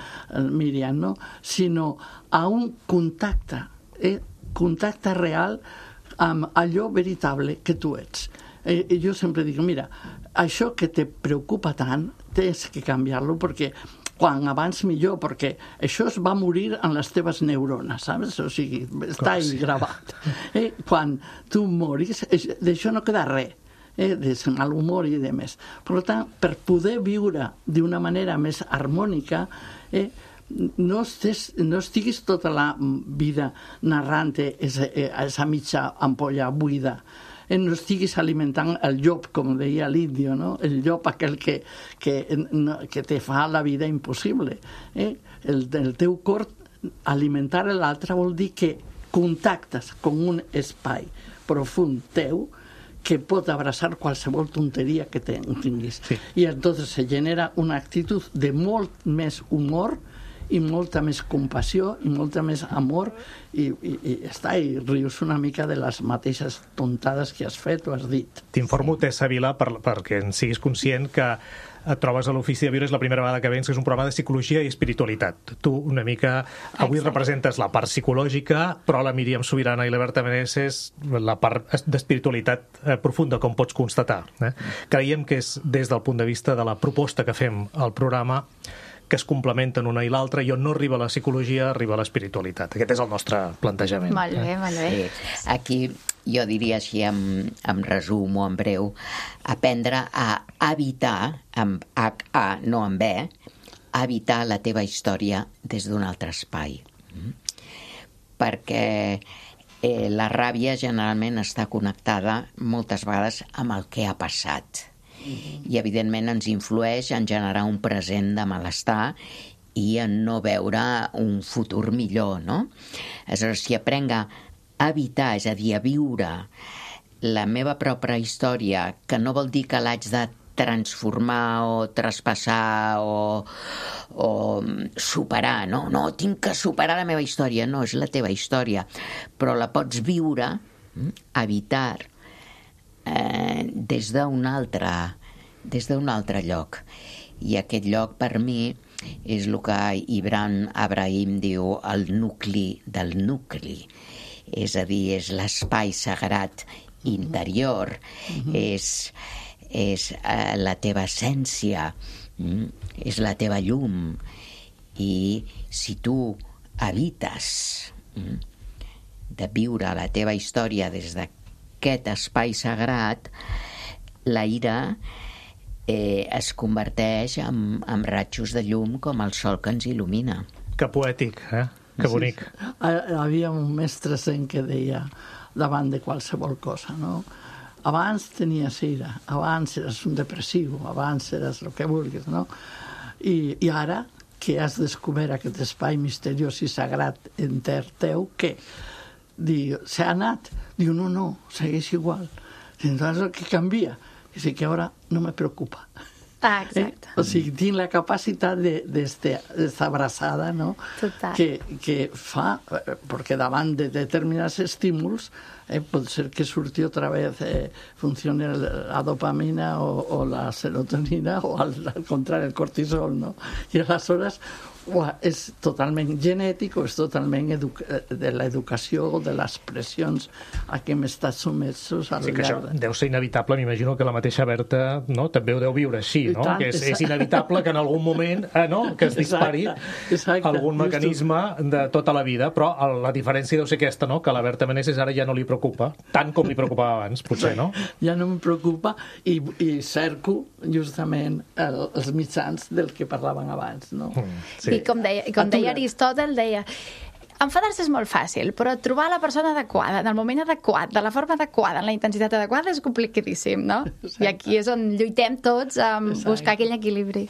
Míriam, no? Sinó a un contacte real amb allò veritable que tu ets. Jo sempre dic, mira, això que te preocupa tant, tens que canviar-lo, perquè quan abans millor, perquè això es va morir en les teves neurones, saps? O sigui, està ahí gravat. Quan tu moris, d'això no queda res, de mal humor i de més. Per tant, per poder viure d'una manera més harmònica, no estiguis tota la vida narrant esa mitja ampolla buida, no estiguis alimentant el llop, com deia l'índio, no? El llop aquell que te fa la vida impossible. El teu cor, alimentar l'altre vol dir que contactes com un espai profund teu que pot abraçar qualsevol tonteria que tinguis. Sí. I entonces se genera una actitud de molt més humor i molta més compassió i molta més amor i rius una mica de les mateixes tontades que has fet o has dit. T'informo, Tessa Vila, perquè en siguis conscient que et trobes a l'Ofici de Viure, és la primera vegada que vens, que és un programa de psicologia i espiritualitat. Tu una mica avui representes la part psicològica, però la Míriam Subirana i la Berta Meneses la part d'espiritualitat profunda, com pots constatar. Creiem que és des del punt de vista de la proposta que fem al programa que es complementen una i l'altra, i on no arriba la psicologia, arriba l'espiritualitat. Aquest és el nostre plantejament. Molt bé, molt bé. Aquí jo diria així, en resum o en breu, aprendre a habitar, amb H-A, no amb B, habitar la teva història des d'un altre espai. Perquè la ràbia generalment està connectada moltes vegades amb el que ha passat. I evidentment ens influeix en generar un present de malestar i en no veure un futur millor, no? Aleshores, si aprenc a habitar, és a dir, a viure la meva pròpia història, que no vol dir que l'haig de transformar o traspassar o superar, no, tinc que superar la meva història, no, és la teva història, però la pots viure, habitar, des d'un altre lloc. I aquest lloc, per mi, és el que Ibrahim diu el nucli del nucli. És a dir, és l'espai sagrat interior, és la teva essència, és la teva llum. I si tu habites de viure la teva història des d'aquest espai sagrat, la ira es converteix en ratxos de llum com el sol que ens il·lumina. Que poètic, Que bonic. Sí. Havia un mestre zen que deia davant de qualsevol cosa, no? Abans tenies ira, abans eres un depressiu, abans eres el que vulguis, no? I ara que has descobert aquest espai misteriós i sagrat enter teu, què? S'ha anat? Diu, no, segueix igual. Entonces, què canvia? Dice que ahora no me preocupa. Exacte. O sigui, tinc la capacitat d'esta abraçada, no? Total. Que fa, perquè davant de determinats estímuls pot ser que surti otra vez, funcione la dopamina o la serotonina o al contrari el cortisol, no? I aleshores és totalment genètic o és totalment de l'educació o de les pressions a què hem estat sumessos al llarg. Sí, que això deu ser inevitable, m'imagino que la mateixa Berta també ho deu viure així, no? Que és inevitable que en algun moment que es dispari algun mecanisme de tota la vida, però la diferència deu ser aquesta, no? Que a la Berta Meneses ara ja no li preocupa, tant com li preocupava abans, potser, no? Ja no em preocupa i cerco justament els mitjans del que parlaven abans, no? Sí. I com deia Aristòtel, deia enfadar-se és molt fàcil, però trobar la persona adequada, en el moment adequat, de la forma adequada, en la intensitat adequada, és complicadíssim, no? Exacte. I aquí és on lluitem tots a buscar aquell equilibri.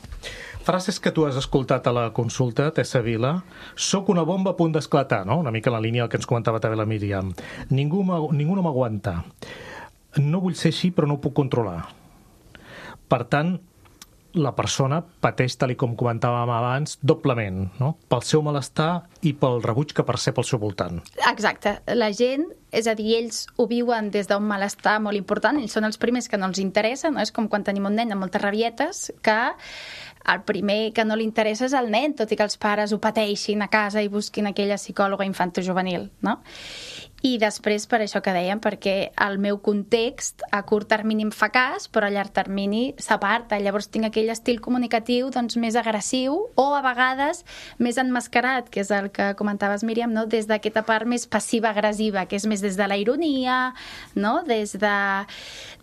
Frases que tu has escoltat a la consulta, Tessa Vila. Soc una bomba a punt d'esclatar, no? Una mica en la línia del que ens comentava també la Míriam. Ningú no m'aguanta. No vull ser així, però no ho puc controlar. Per tant, la persona pateix, tal com comentàvem abans, doblement, no? Pel seu malestar i pel rebuig que percep al seu voltant. Exacte. La gent, és a dir, ells ho viuen des d'un malestar molt important, ells són els primers que no els interessa, no? És com quan tenim un nen amb moltes rabietes, que el primer que no li interessa és el nen, tot i que els pares ho pateixin a casa i busquin aquella psicòloga infantojuvenil, no? I després, per això que dèiem, perquè el meu context a curt termini em fa cas, però a llarg termini s'aparta. Llavors tinc aquell estil comunicatiu més agressiu o a vegades més emmascarat, que és el que comentaves, Míriam, no? Des d'aquesta part més passiva-agressiva, que és més des de la ironia, no? Des de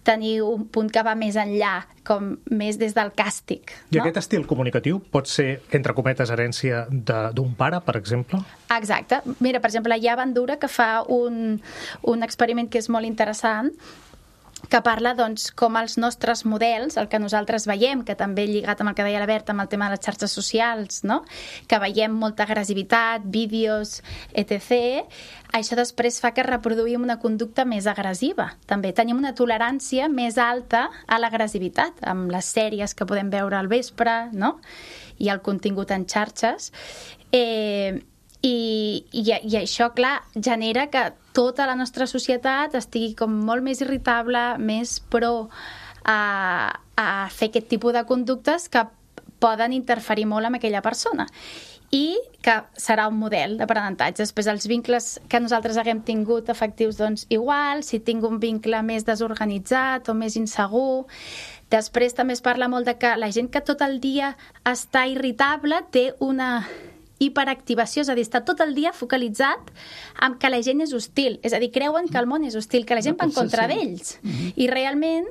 tenir un punt que va més enllà, com més des del càstig. I aquest estil comunicatiu pot ser, entre cometes, herència d'un pare, per exemple? Exacte. Mira, per exemple, hi ha Bandura que fa un experiment que és molt interessant, que parla com els nostres models, el que nosaltres veiem, que també lligat amb el que deia la Berta, amb el tema de les xarxes socials, no? Que veiem molta agressivitat, vídeos, etc. Això després fa que reproduïm una conducta més agressiva. També tenim una tolerància més alta a l'agressivitat, amb les sèries que podem veure al vespre, no? I el contingut en xarxes. I això, clar, genera que tota la nostra societat estigui com molt més irritable, més pro a fer aquest tipus de conductes que poden interferir molt amb aquella persona i que serà un model d'aprenentatge. Després, els vincles que nosaltres haguem tingut efectius, doncs igual, si tinc un vincle més desorganitzat o més insegur. Després també es parla molt de que la gent que tot el dia està irritable té una hiperactivació, és a dir, està tot el dia focalitzat en que la gent és hostil, és a dir, creuen que el món és hostil, que la gent va en contra d'ells, i realment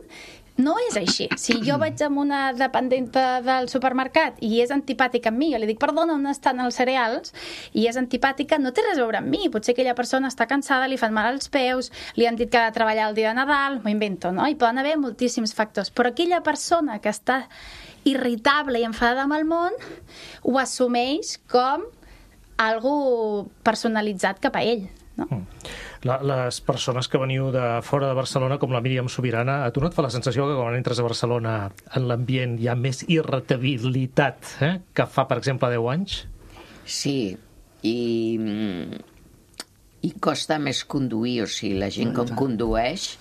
no és així. Si jo vaig amb una dependenta del supermercat i és antipàtica amb mi, jo li dic, perdona, on estan els cereals? I és antipàtica, no té res a veure amb mi. Potser aquella persona està cansada, li fan mal als peus, li han dit que ha de treballar el dia de Nadal, m'ho invento, no? Hi poden haver moltíssims factors. Però aquella persona que està irritable i enfadada amb el món ho assumeix com algo personalitzat cap a ell. no? Les persones que veniu de fora de Barcelona, com la Míriam Subirana, a tu no et fa la sensació que quan entres a Barcelona en l'ambient hi ha més irritabilitat que fa, per exemple, 10 anys? Sí, i costa més conduir, o sigui, la gent com condueix,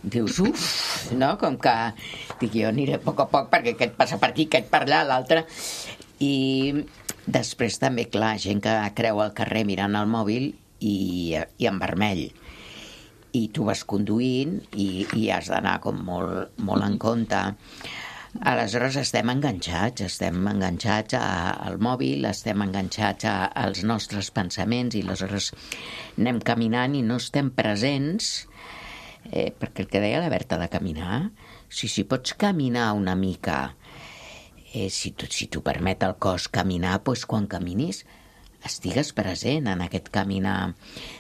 dius, no? Com que dic, jo aniré a poc perquè aquest passa per aquí, aquest per allà, l'altre. I després també, clar, gent que creu al carrer mirant el mòbil i en vermell. I tu vas conduint i has d'anar com molt en compte. Aleshores estem enganxats al mòbil, estem enganxats als nostres pensaments i aleshores anem caminant i no estem presents, perquè el que deia la Berta de caminar, si pots caminar una mica, si t'ho permet el cos caminar, doncs quan caminis estigues present en aquest caminar,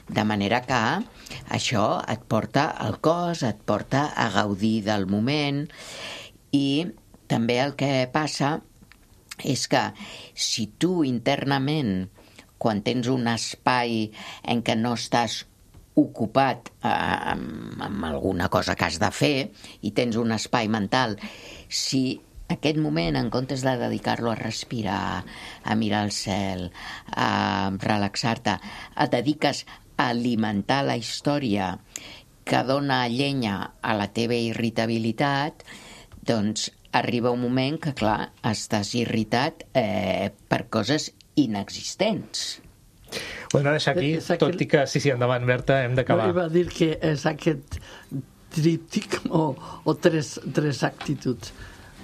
de manera que això et porta al cos, et porta a gaudir del moment. I també el que passa és que si tu internament, quan tens un espai en què no estàs ocupat amb alguna cosa que has de fer i tens un espai mental, si aquest moment, en comptes de dedicar-lo a respirar, a mirar el cel, a relaxar-te, et dediques a alimentar la història que dona llenya a la teva irritabilitat, doncs arriba un moment que, clar, estàs irritat per coses inexistents. Ho hem de deixar aquí, tot i que, sí, endavant, Berta, hem d'acabar. Va dir que és aquest tríptic o tres actituds.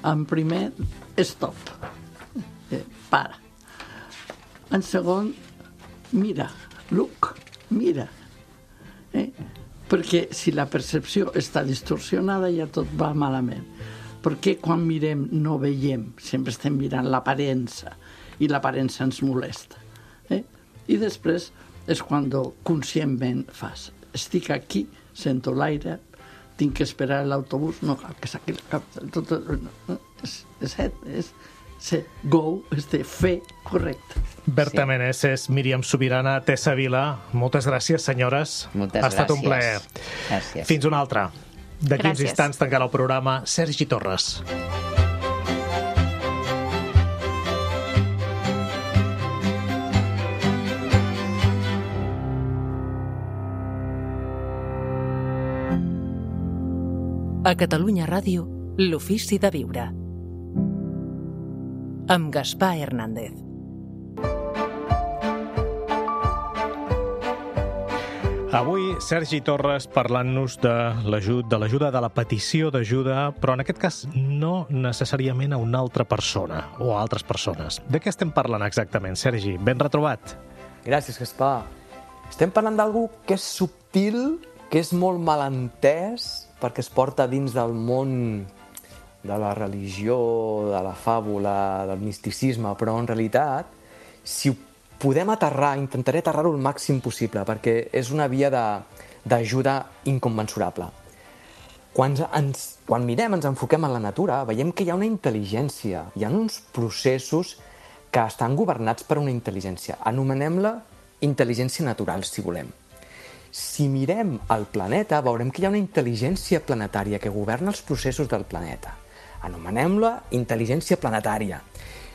En primer, stop. Para. En segon, mira. Look. Mira. Perquè si la percepció està distorsionada ja tot va malament. Perquè quan mirem no veiem, sempre estem mirant l'aparença i l'aparença ens molesta. I després és quan conscientment fas. Estic aquí, sento l'aire, tinc que esperar l'autobús, no cal que saqui la cap. És go, és de fer correcte. Berta Meneses, Míriam Subirana, Tessa Vila, moltes gràcies, senyores. Moltes gràcies. Ha estat un plaer. Gràcies. Fins una altra. D'aquí uns instants tancarà el programa Sergi Torres. A Catalunya Ràdio, l'ofici de viure. Amb Gaspar Hernández. Avui, Sergi Torres parlant-nos de l'ajuda, de la petició d'ajuda, però en aquest cas no necessàriament a una altra persona o a altres persones. De què estem parlant exactament, Sergi? Ben retrobat. Gràcies, Gaspar. Estem parlant d'algú que és subtil, que és molt malentès, perquè es porta dins del món de la religió, de la fàbula, del misticisme, però en realitat, si ho podem aterrar, intentaré aterrar-ho el màxim possible, perquè és una via d'ajuda inconmensurable. Quan mirem, ens enfoquem en la natura, veiem que hi ha una intel·ligència, hi ha uns processos que estan governats per una intel·ligència. Anomenem-la intel·ligència natural, si volem. Si mirem el planeta, veurem que hi ha una intel·ligència planetària que governa els processos del planeta. Anomenem-la intel·ligència planetària.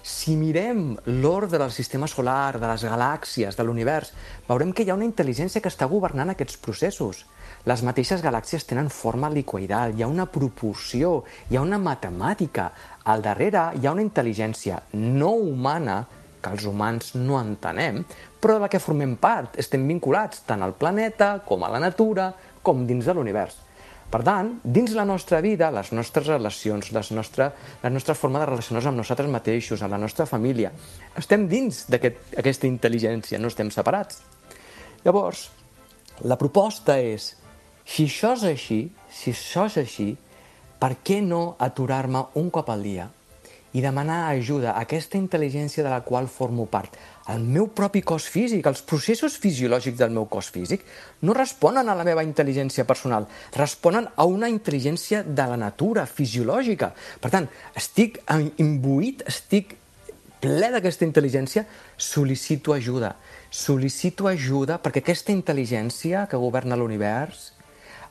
Si mirem l'ordre del sistema solar, de les galàxies, de l'univers, veurem que hi ha una intel·ligència que està governant aquests processos. Les mateixes galàxies tenen forma helicoidal, hi ha una proporció, hi ha una matemàtica. Al darrere hi ha una intel·ligència no humana, que els humans no entenem, però de la que formem part, estem vinculats tant al planeta com a la natura, com dins de l'univers. Per tant, dins la nostra vida, les nostres relacions, la nostra forma de relacionar-nos amb nosaltres mateixos, amb la nostra família, estem dins d'aquesta intel·ligència, no estem separats. Llavors, la proposta és, si això és així, per què no aturar-me un cop al dia i demanar ajuda a aquesta intel·ligència de la qual formo part? El meu propi cos físic, els processos fisiològics del meu cos físic no responen a la meva intel·ligència personal, responen a una intel·ligència de la natura, fisiològica. Per tant, estic imbuït, estic ple d'aquesta intel·ligència, sol·licito ajuda. Sol·licito ajuda perquè aquesta intel·ligència que governa l'univers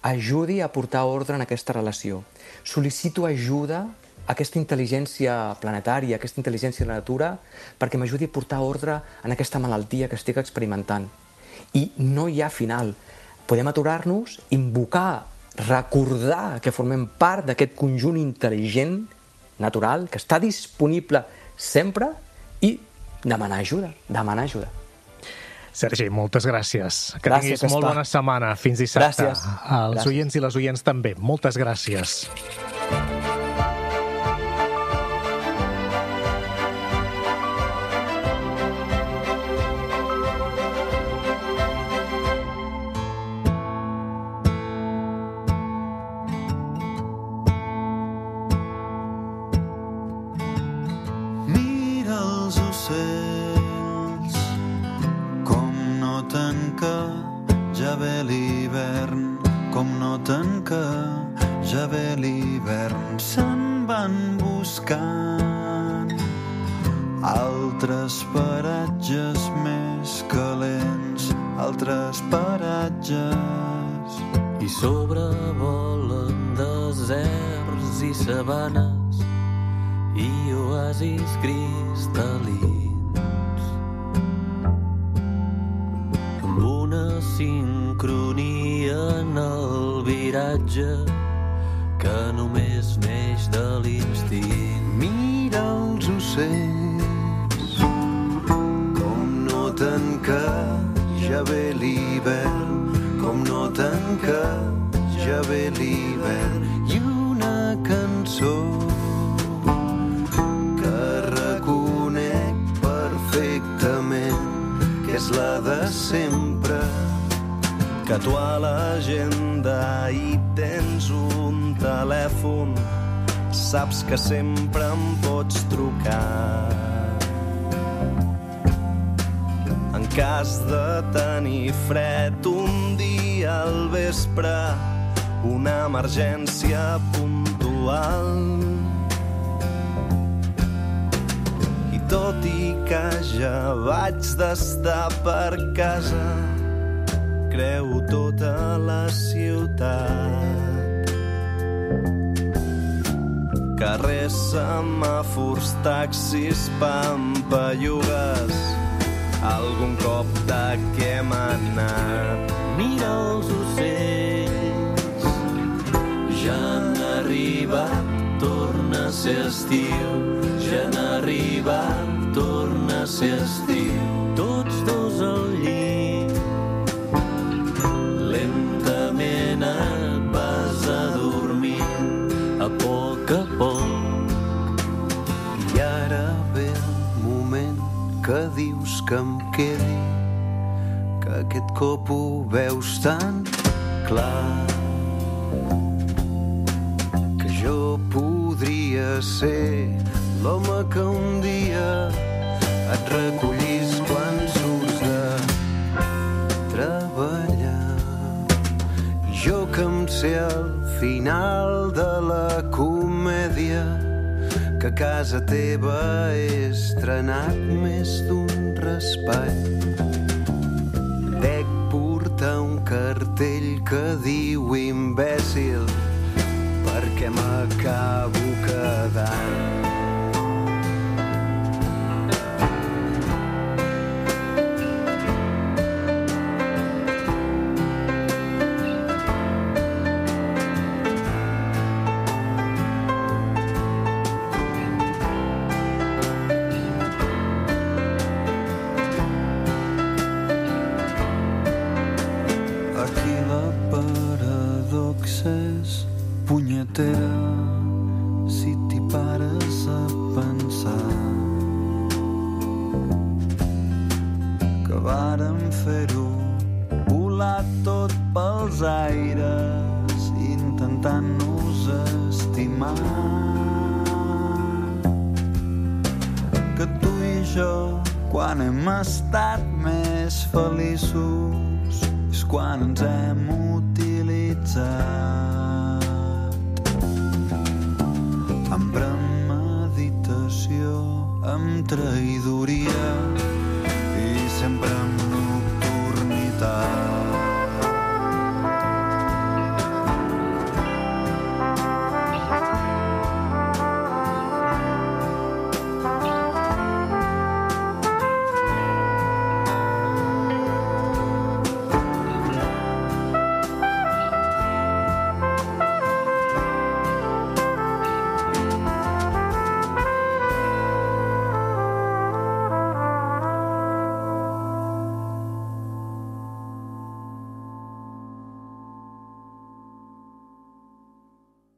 ajudi a portar ordre en aquesta relació. Sol·licito ajuda a aquesta intel·ligència planetària, aquesta intel·ligència de la natura, perquè m'ajudi a portar ordre en aquesta malaltia que estic experimentant. I no hi ha final. Podem aturar-nos, invocar, recordar que formem part d'aquest conjunt intel·ligent, natural, que està disponible sempre i demanar ajuda, demanar ajuda. Sergi, moltes gràcies. Que Gràcies, tinguis molt Gaspar. bona setmana. Fins dissabte. Gràcies. Als oients i les oients també. Moltes gràcies. Mira els ocells com noten que ja ve l'hivern, com noten que ja ve l'hivern. Se'n van buscant altres paratges més calents, altres paratges. I sobrevolen deserts i sabanes i oasis cristal·lins amb una sincronia en el viratge que només neix de l'instint. Mira els ocells com noten que ja ve l'hivern, com noten que ja ve l'hivern. I una cançó que reconec perfectament que és la de sempre, que tu a l'agenda hi tens un telèfon, saps que sempre em pots trucar. En cas de tenir fred un dia al vespre, una emergència puntual. I tot i que ja vaig d'estar per casa, creu tota la ciutat. Carrers, semàfors, taxis, pampallugues, algun cop de què hem anat. Mira els ocells, ja han arribat, torna a ser estiu. Ja han arribat, torna a ser estiu. Tots dos al llit, lentament et vas adormint, a poc a poc. I ara ve el moment que dius que em quedi, que aquest cop ho veus tan clar, que jo podria ser l'home que un dia et recollís quan surts de treballar. I jo que em sé al final de la comèdia, que a casa teva he estrenat més d'un raspall. Dec portar un cartell que diu imbècil, perquè m'acabo quedant. Aquí la paradoxa és punyetera si t'hi pares a pensar que vàrem fer-ho volar tot pels aires intentant-nos estimar, que tu i jo quan hem estat més feliços és quan ens hem utilitzat amb premeditació, amb traïdoria.